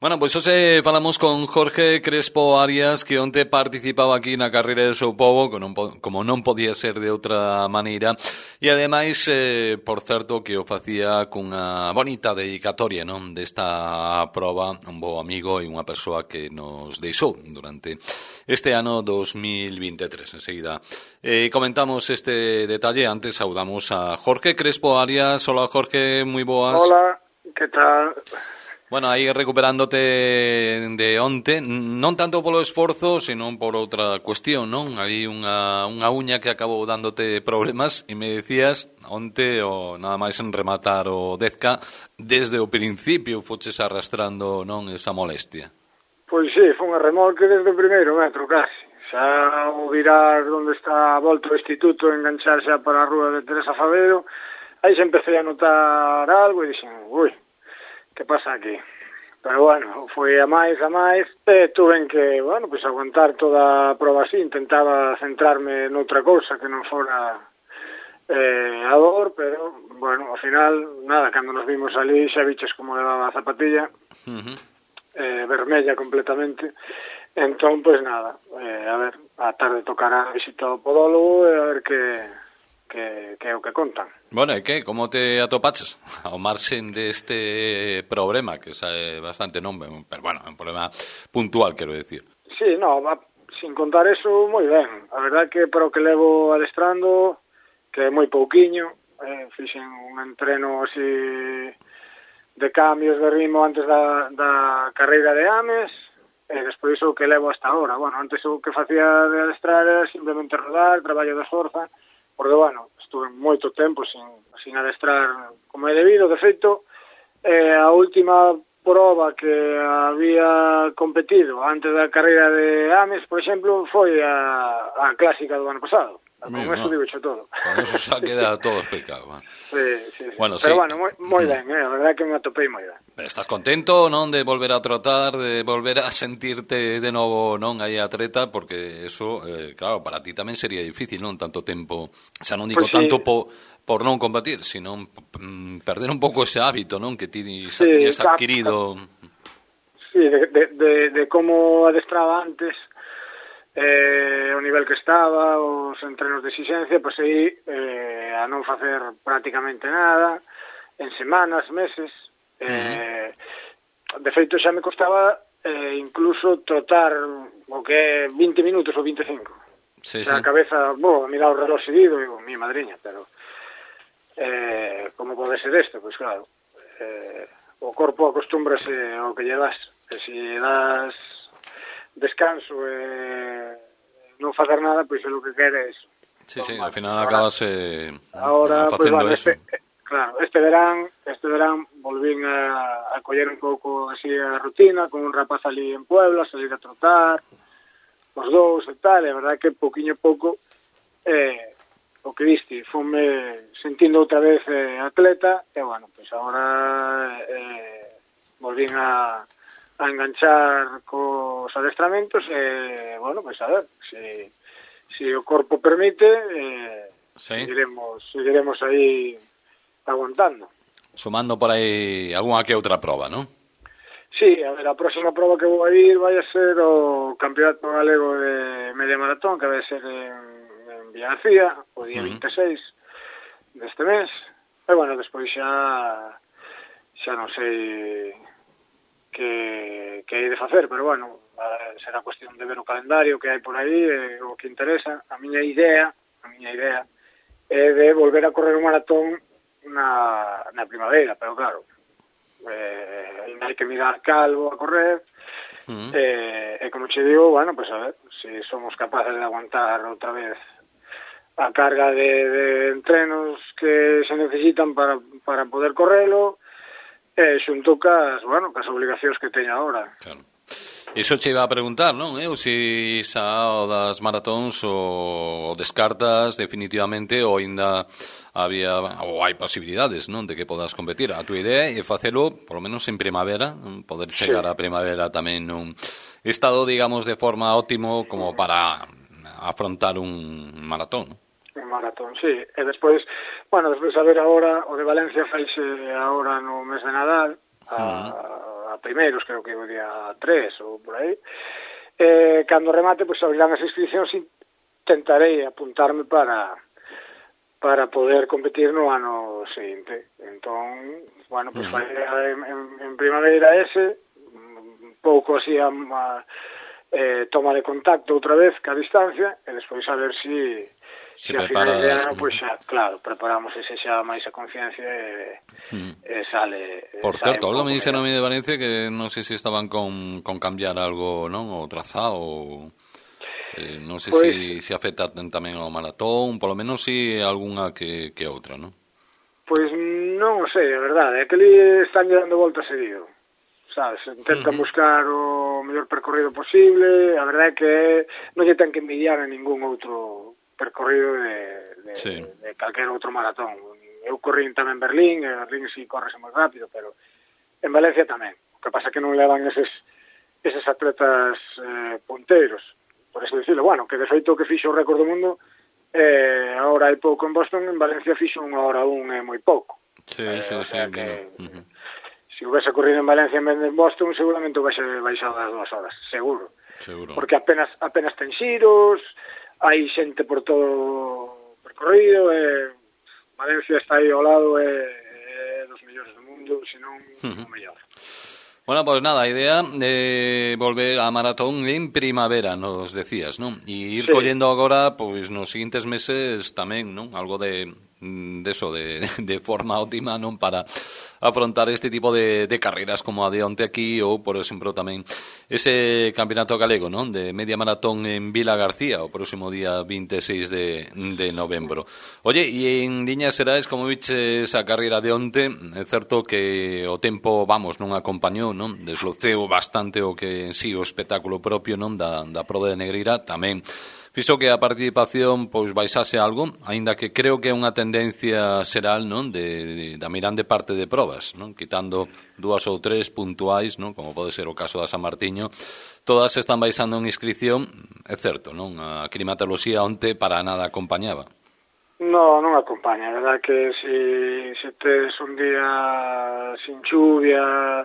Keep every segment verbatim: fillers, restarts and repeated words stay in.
Bueno, pois hoxe falamos con Jorge Crespo Arias, que onte participaba aquí na carreira de São Paulo, que non, como non podía ser de outra maneira, e ademais, eh, por certo, que o facía cunha bonita dedicatoria, non, desta proba, un bo amigo e unha persoa que nos deixou durante este ano dos mil veintitrés. Enseguida eh, comentamos este detalle. Antes saudamos a Jorge Crespo Arias. Hola, Jorge, moi boas. Hola, que tal? Bueno, aí recuperándote de onte, non tanto polo esforzo, senón por outra cuestión, non? Aí unha, unha uña que acabou dándote problemas e me decías onte o nada máis en rematar o Dezca, desde o principio foches arrastrando, non, esa molestia. Pois sí, foi unha remolque desde o primeiro metro casi. Xa o virar onde está volto o instituto, enganchar xa para a rúa de Teresa Favero, aí xa empecé a notar algo e dixen, ui, que pasa aquí? Pero bueno, foi a máis, a máis, e tuve que, bueno, pues aguantar toda a proba así, intentaba centrarme noutra cousa que non fora eh, a dor, pero, bueno, ao final, nada, cando nos vimos ali xa viches como levaba a zapatilla, uh-huh. eh, vermella completamente, entón, pues nada, eh, a ver, a tarde tocará a visita ao podólogo e a ver que... que, que é o que contan. Bueno, e que? Como te atopaches ao marxen deste problema, que é bastante non, pero bueno, é un problema puntual, quero decir. Sí, no, va, sin contar eso, moi ben. A verdade que para o que levo adestrando, que é moi pouquiño, eh, fixen un entreno así de cambios de ritmo antes da, da carreira de Ames, e despois o que levo hasta ahora. Bueno, antes o que facía de adestrar era simplemente rodar, traballo de forza, porque, bueno, estuve moito tempo sin, sin adestrar como é debido. De feito, eh, a última proba que había competido antes da carreira de Ames, por exemplo, foi a, a clásica do ano pasado. Con Mira, eso no. digo xo todo. Con eso xa queda todo explicado. Man. Sí, sí, sí. Bueno, pero sí. bueno, moi, moi ben, eh? A verdade que me atopei moi ben. Estás contento, non, de volver a trotar, de volver a sentirte de novo, non, aí a treta, porque eso, eh, claro, para ti tamén sería difícil, non, tanto tempo, xa non digo pues tanto sí. po, por non combatir, sino mm, perder un pouco ese hábito, non, que ti xa Sí, tenías cap, adquirido. Sí, de, de, de, de como adestraba antes, eh, o nivel que estaba, os entrenos de exigencia, pois aí eh, a non facer prácticamente nada, en semanas, meses, eh, uh-huh. de feito xa me costaba eh, incluso trotar o que é vinte minutos ou vinte e cinco. Sí, sí. A cabeza, bo, a mirar o reloj seguido, digo, mi madriña, pero eh, como pode ser isto? Pois claro, eh, o corpo acostúmbrase ao que lle das, e se das descanso e non facer nada, pois é o que quere eso. Sí, sí, al final acabas eh, ahora, facendo pues, vale, eso. Este, claro, este verán, este verán volvín a, a coller un pouco así a rutina, con un rapaz ali en Puebla, salir a trotar, os dous e tal, e a verdade que pouquiño a pouco eh, o que viste, fome sentindo outra vez eh, atleta, e bueno, pois pues agora eh, volvín a a enganchar cos adestramentos e, bueno, pois pues a ver, se si, si o corpo permite, eh, sí. seguiremos, seguiremos aí aguantando. Sumando por aí algunha que outra proba, non? Sí, a ver, a próxima proba que vou a ir vai a ser o Campeonato Galego de Media Maratón, que vai ser en, en Villagarcía, o día uh-huh. vinte e seis deste mes. E, bueno, despois xa xa non sei que, que hai de facer, pero bueno, será cuestión de ver o calendario que hai por aí, e o que interesa. A miña idea, a miña idea é de volver a correr un maratón na, na primavera, pero claro, eh, hai que mirar calvo a correr, uh-huh. eh, e como che digo, bueno, pues a ver, se si somos capaces de aguantar outra vez a carga de, de entrenos que se necesitan para, para poder correlo, e xunto cas, bueno, cas obligacións que teño agora. Claro. Iso che iba a preguntar, non? Eu se xa o das maratóns o descartas definitivamente ou ainda había ou hai posibilidades, non, de que podas competir. A túa idea é facelo, polo menos en primavera, poder chegar sí. a primavera tamén nun estado, digamos, de forma óptimo como para afrontar un maratón, non? Un maratón, sí. E despois, bueno, despois a ver agora, o de Valencia faixe agora no mes de Nadal, a, a primeiros, creo que o día tres ou por aí. Eh, cando remate, pois abrirán as inscripcións e tentarei apuntarme para para poder competir no ano seguinte. Entón, bueno, pois vai en, en, en primavera ese, un pouco así a, a eh, toma de contacto outra vez ca distancia, e despois a ver si se si a prepara, final de ano, pois xa, claro, preparamos ese xa máis a conciencia e, mm. e sale... Por sale certo, algo me dixeron a mí mellor. de Valencia que non sei se estaban con, con cambiar algo, non? O trazado, ou... Eh, non sei Pois, se si afecta tamén ao maratón, polo menos si algunha que, que outra, non? Pois non o sei, a verdade, é que ali están dando volta seguido, sabes, intentan uh-huh. buscar o mellor percorrido posible, a verdade é que non lle ten que envidiar a ningún outro percorrido de, de, sí. de, de calquer outro maratón. Eu corrí tamén en Berlín, en Berlín si correse moi rápido, pero en Valencia tamén. O que pasa é que non levan eses, eses atletas eh, punteiros, por eso dicirlo. Bueno, que de feito que fixo o récord do mundo, eh, agora hai pouco en Boston, en Valencia fixo unha hora un é moi pouco. Sí, eh, sí, o sea sí, que, uh-huh. se houvese corrido en Valencia en vez de en Boston, seguramente houvese baixado das dúas horas, seguro. Seguro. Porque apenas apenas ten xiros, hai xente por todo o percorrido, e Valencia está aí ao lado, e é dos mellores do mundo, senón uh-huh. o mellor. Bueno, pues nada, a idea de volver a maratón en primavera, nos decías, ¿no? E ir sí. collendo agora, pois, nos seguintes meses tamén, ¿no? Algo de, de eso, de, de forma óptima, ¿no? Para afrontar este tipo de, de carreras como a de onte aquí, ou, por exemplo, tamén ese campeonato galego, ¿no? De media maratón en Vila García, o próximo día veintiséis de, de novembro. Oye, e en liñas xerais, como viches a carreira de onte, é certo que o tempo, vamos, non acompañou, non? Desloceu bastante o que en sí o espectáculo propio, non? Da, da proba de Negreira, tamén fixo que a participación pois baixase algo, aínda que creo que é unha tendencia xeral, non? De, de, da mirande parte de probas, non? Quitando dúas ou tres puntuais, non? Como pode ser o caso da San Martiño, todas están baixando en inscripción, é certo, non? A climatoloxía onte para nada acompañaba. No, non acompaña, a verdad que se, se tes un día sin chuvia,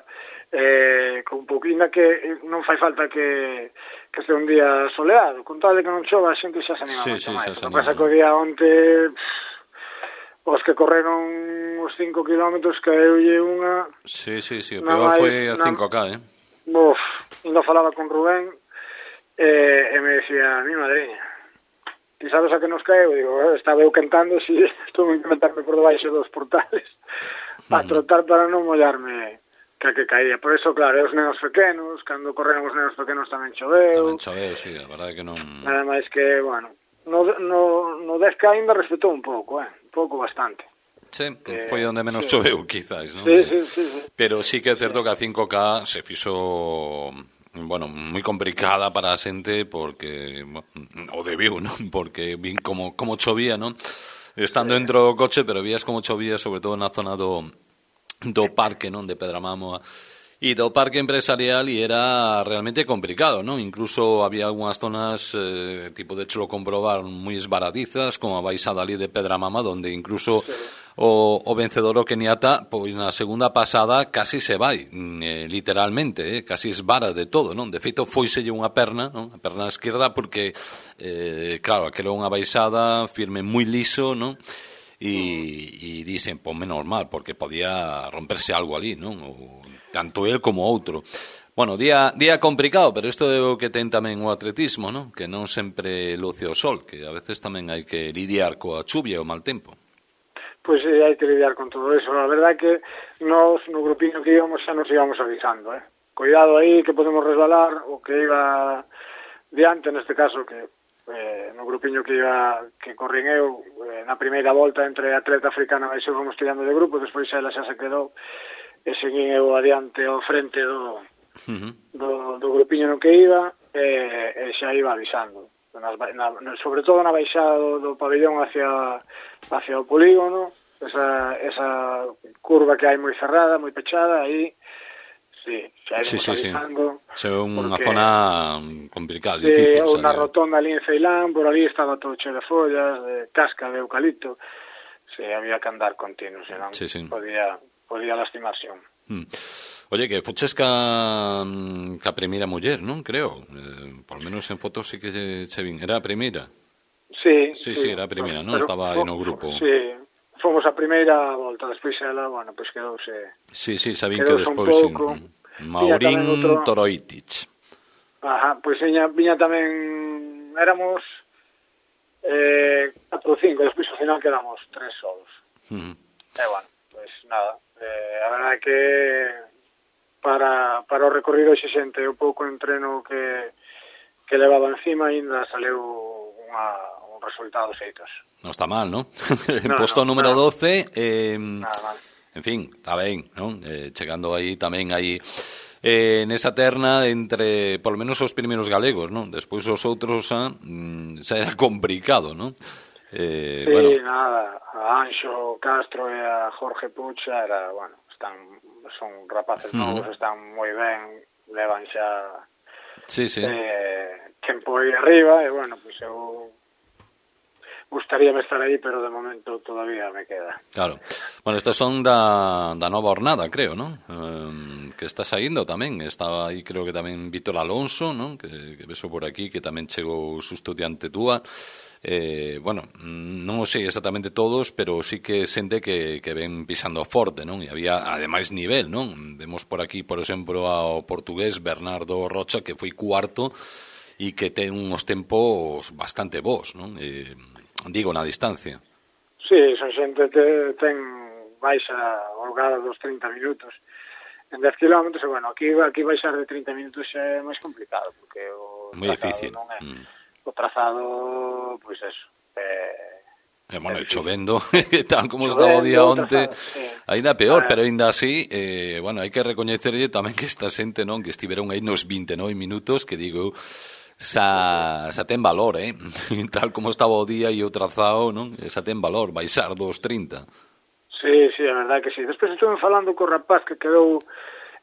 eh, con poquina que non fai falta que que este un día soleado, con tal de que non chova, a xente xa se anima sí, moito sí, máis. O que pasa que o día onte pff, os que correron os cinco kilómetros caeulle unha... Sí, sí, sí, o peor foi a cinco K, eh? Uf, ainda falaba con Rubén eh, e me decía, mi madriña, ti sabes a que nos caeu? Digo, estaba eu cantando, si estou a meterme por debaixo dos portales a trotar para non mollarme que que caía. Por eso, claro, os nenos pequenos, cando correron os nenos pequenos tamén choveu. Tamén choveu, sí, a verdade que non... Nada máis que, bueno, no, no, no dez K ainda respetou un pouco, eh, un pouco bastante. Sí, que, foi onde menos sí. choveu, quizás, non? Sí, sí, sí, sí. Pero sí que é certo que a cinco K se fixo... bueno, moi complicada para a xente porque bueno, o debiu, non? Porque vin como, como chovía, non? Estando sí. dentro do coche, pero vías como chovía, sobre todo na zona do do parque, non, de Pedramamo e do parque empresarial, e era realmente complicado, non? Incluso había algunhas zonas eh, tipo de chelo comprobar moi esbaradizas, como a baixada ali de Pedramama, donde incluso sí. o, o vencedor o Keniata, pois na segunda pasada casi se vai, eh, literalmente, eh, casi esvara de todo, non? De feito, foiselle unha perna, non? A perna esquerda, porque eh, claro, aquela unha baixada firme moi liso, non? E, e dicen, pues menos mal, porque podía romperse algo ali, non? O, tanto el como outro. Bueno, día día complicado, pero isto é o que ten tamén o atletismo, non? Que non sempre luce o sol, que a veces tamén hai que lidiar coa chuvia e o mal tempo. Pois sí, hai que lidiar con todo eso. A verdade é que nós, no grupiño que íbamos, xa nos íbamos avisando, eh? Cuidado aí, que podemos resbalar, o que iba diante, neste caso, que eh, no grupiño que iba que corrín eu eh, na primeira volta entre atleta africana e eu fomos tirando de grupo, despois ela xa se quedou e seguín eu adiante ao frente do, uh-huh. do, do grupiño no que iba e, e xa iba avisando nas, na, sobre todo na baixada do, do pabellón hacia, hacia o polígono, esa, esa curva que hai moi cerrada, moi pechada, aí sí, xa sí, sí, avisando. Sí. É unha zona complicada, sí, difícil. Ou na rotonda ali en Ceilán, por ali estaba todo cheo de follas, de casca de eucalipto. Sí, había que andar continuo, senón sí, sí. podía, podía lastimarse. Mm. Oye, que foches ca, ca primeira muller, non? Creo. Eh, por lo menos en fotos sí que se, se vin. Era a primeira? Sí, Sí, sí, sí, era a primeira, non? pero, Estaba aí no grupo. Sí, fomos a primeira volta, despois ela, bueno, pois pues quedouse... Sí, sí, sabín que despois... Pouco, Maurín outro... Toroitich. Ajá, pois pues viña, viña tamén... Éramos eh, catro ou cinco, despois ao final quedamos tres solos. Uh-huh. E bueno, pois pues, nada, eh, a verdade é que para, para o recorrido exixente o pouco entreno que, que levaba encima ainda saleu unha, un resultado feitos. Non está mal, ¿no? En no, posto no, número no. doce, eh, nada mal. En fin, está ben, ¿no? Eh, chegando aí tamén aí eh, nesa terna entre, por lo menos, os primeiros galegos, ¿no? Despois os outros ah, mm, xa era complicado, ¿no? Eh, sí, bueno. nada, a Anxo Castro e a Jorge Pucha era, bueno, están, son rapaces novos, uh-huh. están moi ben, levan xa sí, sí. Eh, tempo aí arriba, e bueno, pois pues eu gustaríame estar aí, pero de momento todavía me queda. Claro. Bueno, estos son da, da nova hornada, creo, ¿no? Um, que está saindo tamén. Estaba aí, creo que tamén Vítor Alonso, ¿no? Que, que beso por aquí, que tamén chegou susto diante túa. Eh, bueno, non o sei exactamente todos, pero sí que sente que, que ven pisando forte, non? E había, ademais, nivel, non? Vemos por aquí, por exemplo, ao portugués Bernardo Rocha, que foi cuarto e que ten uns tempos bastante bons, non? Eh, digo, na distancia. Sí, son xente que ten baixa holgada dos trinta minutos en dez kilómetros, e bueno, aquí, aquí baixar de trinta minutos é máis complicado, porque o moi difícil. Non é, mm. o trazado, pois pues eso, é... Eh, bueno, e chovendo, tal como chovendo, estaba o día onte, sí. Ainda peor, pero ainda así, eh, bueno, hai que recoñecerlle tamén que esta xente, non, que estiveron aí nos vinte e nove minutos, que digo, xa, xa ten valor, eh? Tal como estaba o día e o trazado, non? Xa ten valor, baixar dos trinta. Sí, sí, a verdade que sí. Despois estuve falando co rapaz que quedou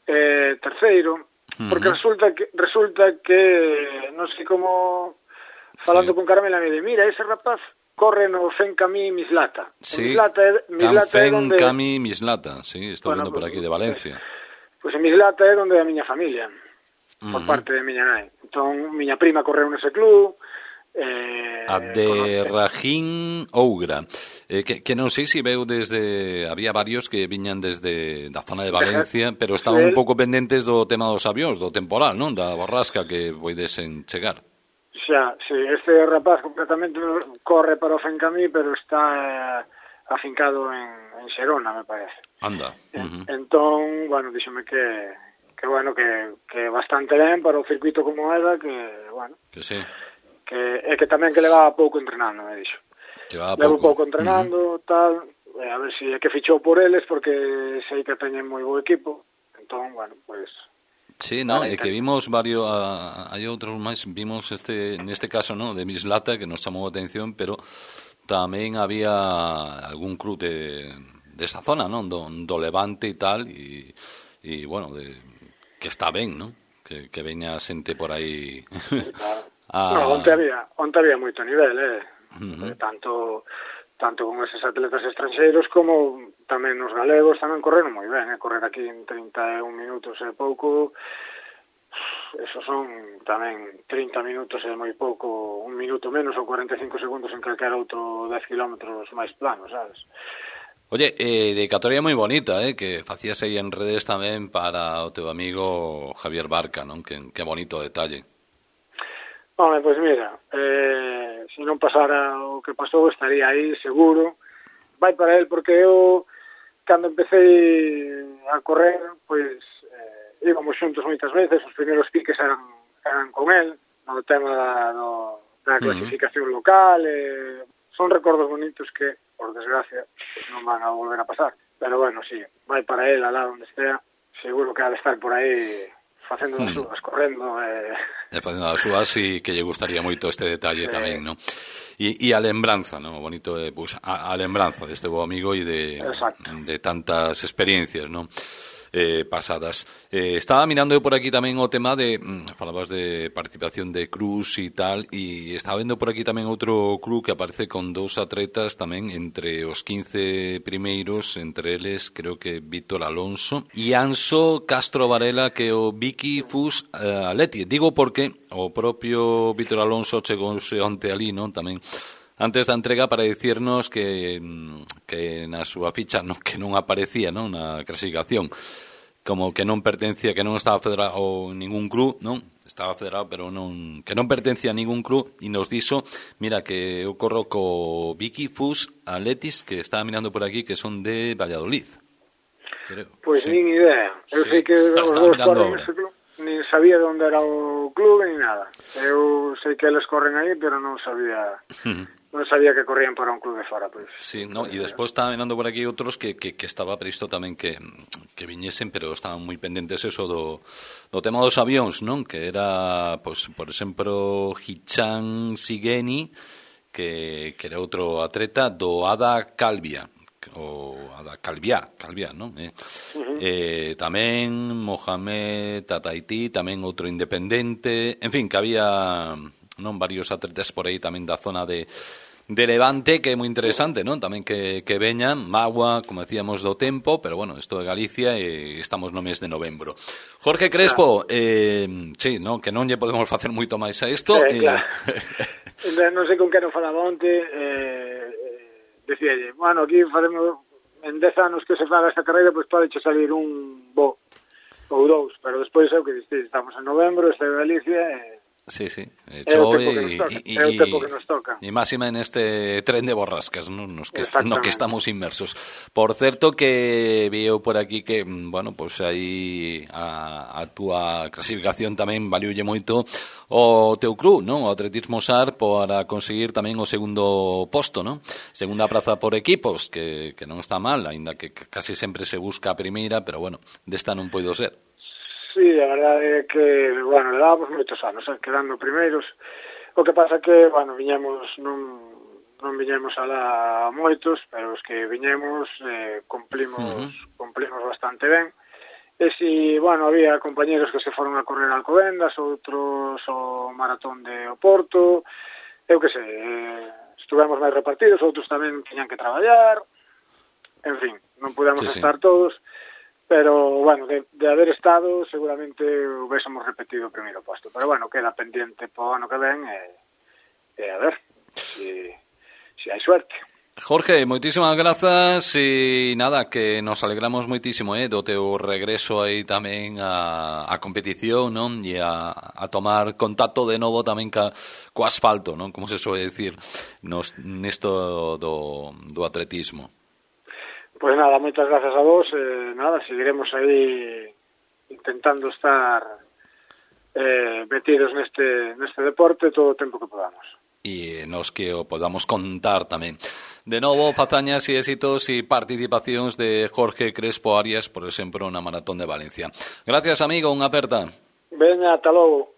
eh, terceiro, porque uh-huh. resulta que resulta que non sei como falando sí. con Carmela me di, mira, ese rapaz corre no Fencamí Mislata. Sí, Mislata é, Mislata é donde... Fencamí Mislata, sí, estou bueno, vendo por aquí de Valencia. Pois pues, en Mislata é donde a miña familia, uh-huh. por parte de miña nai. Entón, miña prima correu nese club, eh, a de Rajín Ougra, eh, que, que non sei se veu desde, había varios que viñan desde da zona de Valencia, pero estaban un pouco pendentes do tema dos avións, do temporal, non? Da borrasca que poidesen chegar. Xa, sí, este rapaz completamente corre para o Fencamí, pero está eh, afincado en, en Xerona, me parece. Anda. Uh-huh. Entón, bueno, díxome que que bueno, que, que bastante ben para o circuito como era, que, bueno... Que sí. Que, é que tamén que levaba pouco entrenando, me dixo. Levaba Levo pouco. pouco entrenando, uh-huh. tal, eh, a ver se si é que fichou por eles, porque sei que teñen moi bo equipo, entón, bueno, pues... Sí, no, é que vimos varios, hai outros máis, vimos este, neste caso, no, de Mislata, que nos chamou a atención, pero tamén había algún club de, de esa zona, non, do, do Levante e tal, e, e bueno, de, que está ben, non, que, que veña xente por aí. Claro. a... No, onte había, onte había moito nivel, eh, uh-huh. eh tanto... tanto con eses atletas estranxeiros como tamén os galegos tamén correron moi ben, eh? Correr aquí en trinta e un minutos é pouco, esos son tamén trinta minutos é moi pouco, un minuto menos ou cuarenta e cinco segundos en calquera outro dez kilómetros máis plano, sabes? Oye, eh, dedicatoria moi bonita, eh, que facías aí en redes tamén para o teu amigo Javier Barca, non? Que, que bonito detalle. Home, pois mira, eh, se non pasara o que pasou, estaría aí, seguro. Vai para él, porque eu, cando empecé a correr, pois, eh, íbamos xuntos moitas veces, os primeiros piques eran, eran con él, no tema da, no, da clasificación uh-huh. local, eh, son recordos bonitos que, por desgracia, pues, non van a volver a pasar. Pero bueno, sí, vai para él, alá onde estea, seguro que ha de estar por aí facendo as súas, correndo, eh... E facendo as súas, e que lle gustaría moito este detalle sí. tamén, non? E, e a lembranza, non? Bonito, eh, pues, a, a lembranza deste bo amigo e de, de tantas experiencias, non? eh, pasadas. Eh, estaba mirando eu por aquí tamén o tema de, mm, falabas de participación de Cruz e tal, e estaba vendo por aquí tamén outro club que aparece con dous atletas tamén entre os quince primeiros, entre eles creo que Víctor Alonso e Anso Castro Varela, que o Vicky Fus uh, Atleti. Digo porque o propio Víctor Alonso chegouse onte ali, non? Tamén antes da entrega para dicirnos que, que na súa ficha non, que non aparecía, non, na clasificación, como que non pertencía, que non estaba federado en ningún club, non? Estaba federado, pero non, que non pertencía a ningún club, e nos dixo, mira, que eu corro co Vicky Fus Atletis, que estaba mirando por aquí, que son de Valladolid. Pois pues sí. Nin idea. Eu sí. sei que os dous corren ese club. Nin sabía onde era o club ni nada. Eu sei que eles corren aí, pero non sabía... non sabía que corrían para un club de fora, pois. Sí, no, e despois estaba mirando por aquí outros que, que, que estaba previsto tamén que, que viñesen, pero estaban moi pendentes eso do, do tema dos avións, non? Que era, pois, por exemplo, Hichan Sigeni, que, que era outro atleta do Ada Calvia, o Ada Calvia, Calvia, non? Eh, uh-huh. eh, tamén Mohamed Tataiti, tamén outro independente, en fin, que había... non varios atletas por aí tamén da zona de, de Levante, que é moi interesante, non? Tamén que, que veñan, Magua, como decíamos, do tempo, pero bueno, isto é Galicia e estamos no mes de novembro. Jorge Crespo, claro. eh, sí, non, que non lle podemos facer moito máis a isto. Sí, claro. eh... non sei con que non falaba onte, eh, decíalle, bueno, aquí faremos en dez anos que se faga esta carreira, pois pues, pode salir un bo ou dous, pero despois é o que diste, estamos en novembro, está en Galicia e... Sí, sí, eh, chove e o tempo que nos toca. E máxima en este tren de borrascas, ¿no? Nos que, no que estamos inmersos. Por certo que veo por aquí que, bueno, pues aí a, a túa clasificación tamén valiulle moito o teu club, ¿no? O Atletismo Sar para conseguir tamén o segundo posto, ¿no? Segunda praza por equipos, que, que non está mal, aínda que casi sempre se busca a primeira, pero bueno, desta non poido ser. Sí, a verdade é que, bueno, le dábamos moitos anos, eh, quedando primeiros. O que pasa que, bueno, viñemos, non, non viñemos alá moitos, pero os que viñemos eh, cumplimos, uh-huh. cumplimos bastante ben. E si, bueno, había compañeros que se foron a correr a Alcobendas, outros ao maratón de Oporto, eu que sei, eh, estuvemos máis repartidos, outros tamén tiñan que traballar, en fin, non pudemos sí, estar sí. todos. Pero, bueno, de, de haber estado, seguramente hubiésemos repetido o primeiro posto. Pero, bueno, queda pendiente po ano que ven e, e a ver si, si hai suerte. Jorge, moitísimas grazas e nada, que nos alegramos moitísimo eh, do teu regreso aí tamén a, a competición, non? E a, a tomar contacto de novo tamén ca, co asfalto, non? Como se suele decir nos, nesto do, do atletismo. Pois pues nada, moitas grazas a vos, eh, nada, seguiremos aí intentando estar eh, metidos neste, neste deporte todo o tempo que podamos. E nos que o podamos contar tamén. De novo, fazañas e éxitos e participacións de Jorge Crespo Arias, por exemplo, na Maratón de Valencia. Gracias, amigo, unha aperta. Veña, ata logo.